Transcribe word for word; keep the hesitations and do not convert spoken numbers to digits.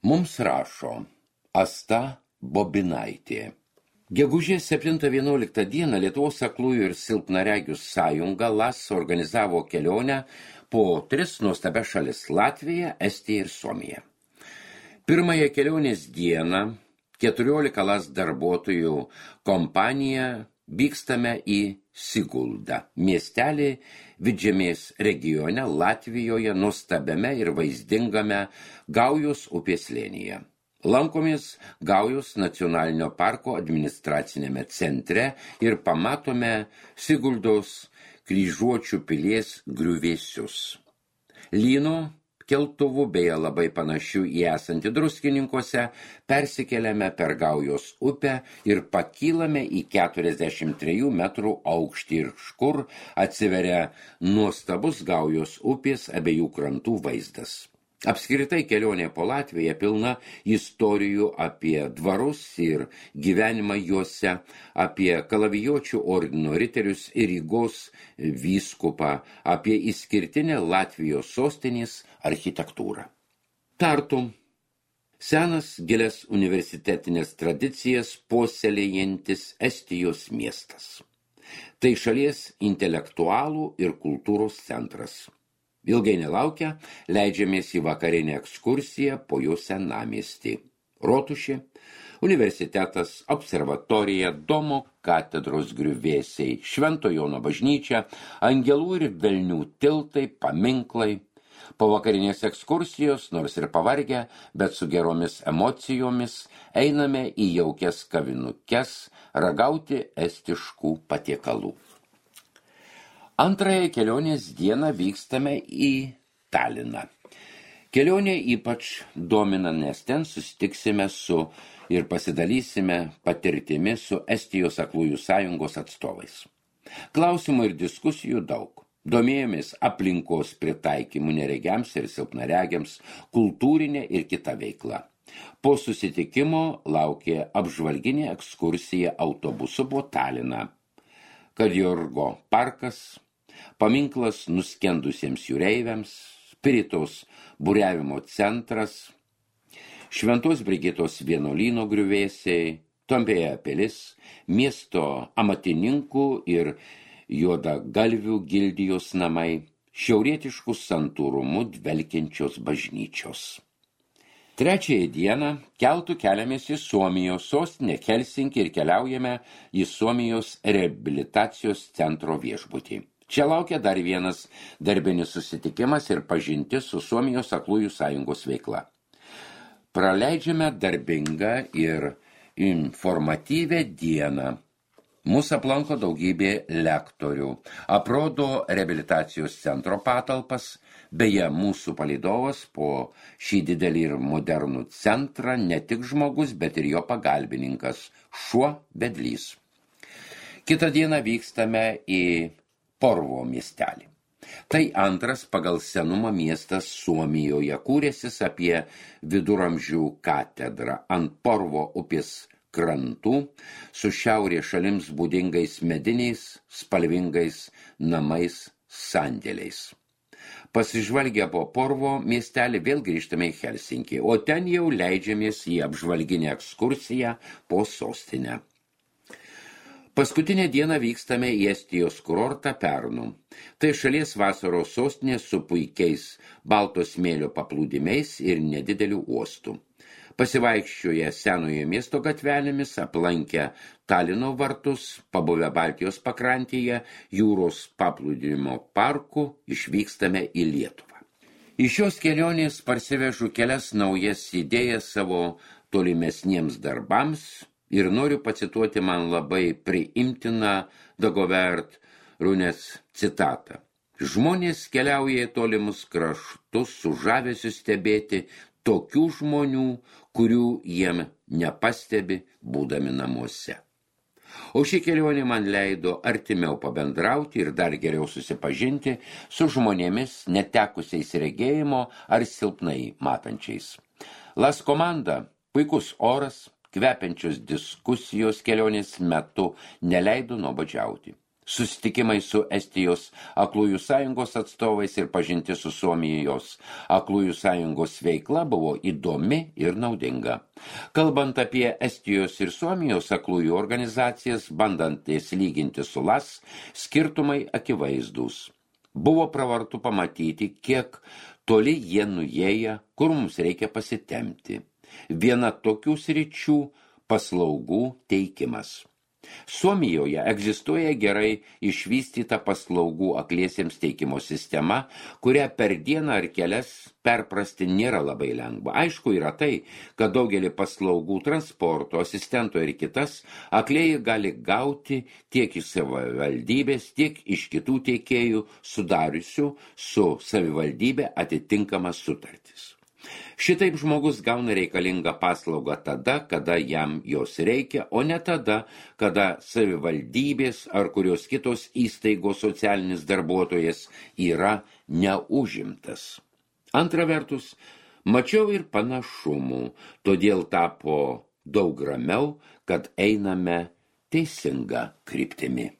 Mums rašo Asta Bobinaitė. Gegužės septintą vienuoliktą dieną Lietuvos aklųjų ir silpnaregių sąjunga L A S organizavo kelionę po tris nuostabias šalis – Latviją, Estiją ir Suomiją. Pirmąją kelionės dieną keturiolika L A S darbuotojų kompanija vykstame į Siguldą, miestelį Vidžemės regione Latvijoje, nuostabiame ir vaizdingame Gaujos upės slėnyje. Lankomės Gaujos nacionalinio parko administracinėme centre ir pamatome Siguldos kryžiuočių pilies griuvėsius. Lyno keltuvų, beje labai panašių į esantį Druskininkuose, persikeliame per Gaujos upę ir pakylame į keturiasdešimt trijų metrų aukštį ir škur atsiveria nuostabus Gaujos upės abiejų krantų vaizdas. Apskritai kelionė po Latviją pilna istorijų apie dvarus ir gyvenimą juose, apie kalavijuočių ordino riterius ir Rygos vyskupą, apie išskirtinę Latvijos sostinės architektūrą. Tartu. Senas gilias universitetinės tradicijas puoselėjantis Estijos miestas. Tai šalies intelektualų ir kultūros centras. Ilgai nelaukia, leidžiamės į vakarinę ekskursiją po jo senamiestį. Rotušė, universitetas, observatorija, Domo katedros griuvėsiai, Švento Jono bažnyčia, angelų ir velnių tiltai, paminklai. Po vakarinės ekskursijos, nors ir pavargę, bet su geromis emocijomis, einame į jaukias kavinukes ragauti estiškų patiekalų. Antrąją kelionės dieną vykstame į Taliną. Kelionė ypač domina, nes ten susitiksime su ir pasidalysime patirtimi su Estijos aklųjų sąjungos atstovais. Klausimų ir diskusijų daug. Domėjomės aplinkos pritaikymu neregiams ir silpnaregiams, kultūrinė ir kita veikla. Po susitikimo laukė apžvalginė ekskursija autobusu po Taliną. Kadjorgo parkas, paminklas nuskendusiems jūreiviams, Spiritos buriavimo centras, Šventos Brigitos vienuolyno griuvėsiai, Tombėja pilis, miesto amatininkų ir juodagalvių gildijos namai, šiaurietiškų santūrumu dvelkiančios bažnyčios. Trečiąją dieną keltu keliamės į Suomijos sostinę Helsinkį ir keliaujame į Suomijos reabilitacijos centro viešbutį. Čia laukia dar vienas darbinis susitikimas ir pažintis su Suomijos aklųjų sąjungos veikla. Praleidžiame darbingą ir informatyvę dieną. Mūsų aplanko daugybė lektorių, aprodo reabilitacijos centro patalpas, beje, mūsų palydovas po šį didelį ir modernų centrą ne tik žmogus, bet ir jo pagalbininkas, šuo vedlys. Kitą dieną vykstame į Porvoo miestelį. Tai antras pagal senumą miestas Suomijoje, kūrėsis apie viduramžių katedrą ant Porvoo upės krantų su šiaurės šalims būdingais mediniais, spalvingais namais, sandėliais. Pasižvalgę po Porvoo miestelį vėl grįžtame į Helsinkį, o ten jau leidžiamės į apžvalginę ekskursiją po sostinę. Paskutinę dieną vykstame į Estijos kurortą Pärnu. Tai šalies vasaros sostinė su puikiais balto smėlio paplūdimiais ir nedideliu uostu. Pasivaikščioję senojo miesto gatvelėmis, aplankę Talino vartus, pabuvę Baltijos pakrantėje, jūros paplūdimio parku, išvykstame į Lietuvą. Iš šios kelionės parsivežu kelias naujas idėjas savo tolimesniems darbams ir noriu pacituoti man labai priimtiną Dagobert Runės citatą. Žmonės keliauja į tolimus kraštus su žavesiu stebėti tokių žmonių, kurių jiem nepastebi būdami namuose. O ši kelionė man leido artimiau pabendrauti ir dar geriau susipažinti su žmonėmis netekusiais regėjimo ar silpnai matančiais. L A S komanda, puikus oras, kvepiančios diskusijos kelionės metu neleido nuobodžiauti. Susitikimai su Estijos aklųjų sąjungos atstovais ir pažinti su Suomijos aklųjų sąjungos veikla buvo įdomi ir naudinga. Kalbant apie Estijos ir Suomijos aklųjų organizacijas, bandant jas lyginti su L A S, skirtumai akivaizdūs. Buvo pravartu pamatyti, kiek toli jie nuėję, kur mums reikia pasitemti. Viena tokių sričių – paslaugų teikimas. Suomijoje egzistuoja gerai išvystyta paslaugų akliesiems teikimo sistema, kurią per dieną ar kelias perprasti nėra labai lengva. Aišku yra tai, kad daugelį paslaugų transporto, asistento ir kitas aklieji gali gauti tiek iš savivaldybės, tiek iš kitų teikėjų sudariusių su savivaldybė atitinkamas sutartis. Šitaip žmogus gauna reikalingą paslaugą tada, kada jam jos reikia, o ne tada, kada savivaldybės ar kurios kitos įstaigos socialinis darbuotojas yra neužimtas. Antra vertus, mačiau ir panašumų, todėl tapo daug ramiau, kad einame teisinga kryptimi.